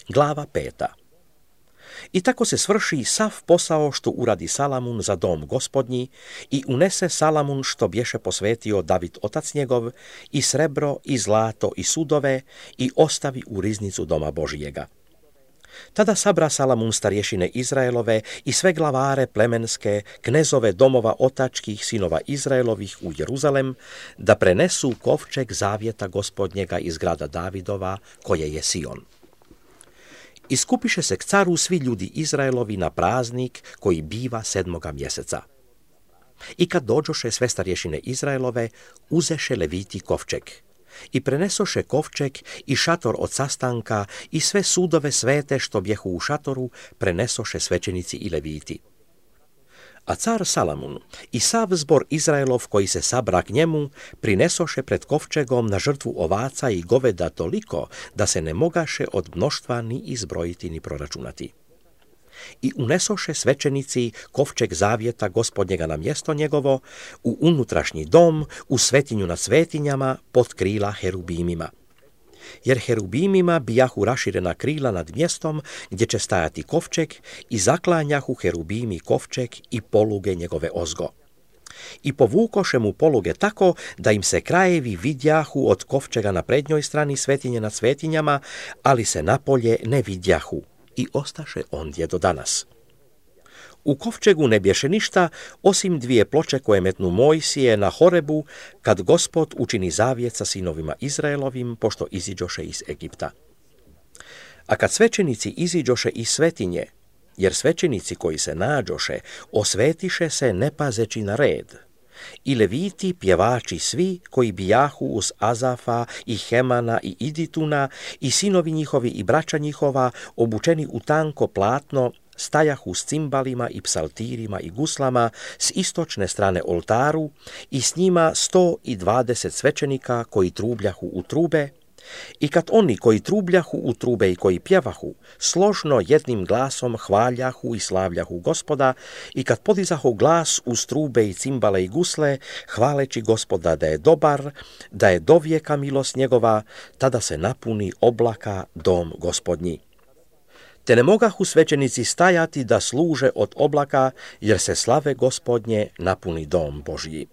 Glava 5. I tako se svrši sav posao što uradi Salamun za dom gospodnji i unese Salamun što bješe posvetio David otac njegov i srebro i zlato i sudove i ostavi u riznicu doma Božijega. Tada sabra Salamun starješine Izraelove i sve glavare plemenske, knezove domova otačkih sinova Izraelovih u Jeruzalem, da prenesu kovčeg zavjeta gospodnjega iz grada Davidova, koje je Sion. Iskupiše se k caru svi ljudi Izraelovi na praznik koji biva 7. mjeseca. I kad dođoše sve starješine Izraelove, uzeše leviti kovčeg. I prenesoše kovčeg i šator od sastanka i sve sudove svete što bjehu u šatoru prenesoše svećenici i leviti. A car Salamun i sav zbor Izraelov koji se sabra k njemu prinesoše pred kovčegom na žrtvu ovaca i goveda toliko da se ne mogaše od mnoštva ni izbrojiti ni proračunati. I unesoše svećenici kovčeg zavjeta gospodnjega na mjesto njegovo u unutrašnji dom, u svetinju nad svetinjama pod krila herubimima. Jer herubimima bijahu raširena krila nad mjestom gdje će stajati kovčeg i zaklanjahu herubimi kovčeg i poluge njegove ozgo. I povukoše mu poluge tako da im se krajevi vidjahu od kovčega na prednjoj strani svetinje nad svetinjama, ali se napolje ne vidjahu i ostaše ondje do danas. U kovčegu ne bješe ništa osim 2 ploče koje metnu Mojsije na Horebu kad Gospod učini zavjet sa sinovima Izraelovim pošto iziđoše iz Egipta. A kad svećenici iziđoše iz svetinje, jer svećenici koji se nađoše osvetiše se ne pazeći na red, i leviti pjevači svi koji bijahu uz Azafa i Hemana i Idituna i sinovi njihovi i braća njihova obučeni u tanko platno stajahu s cimbalima i psaltirima i guslama s istočne strane oltaru i s njima 120 svećenika koji trubljahu u trube, i kad oni koji trubljahu u trube i koji pjevahu složno jednim glasom hvaljahu i slavljahu Gospoda, i kad podizahu glas uz trube i cimbale i gusle hvaleći Gospoda da je dobar, da je dovijeka milost njegova, tada se napuni oblaka dom Gospodnji. Te ne mogahu svećenici stajati da služe od oblaka, jer se slave Gospodnje napuni dom Božji.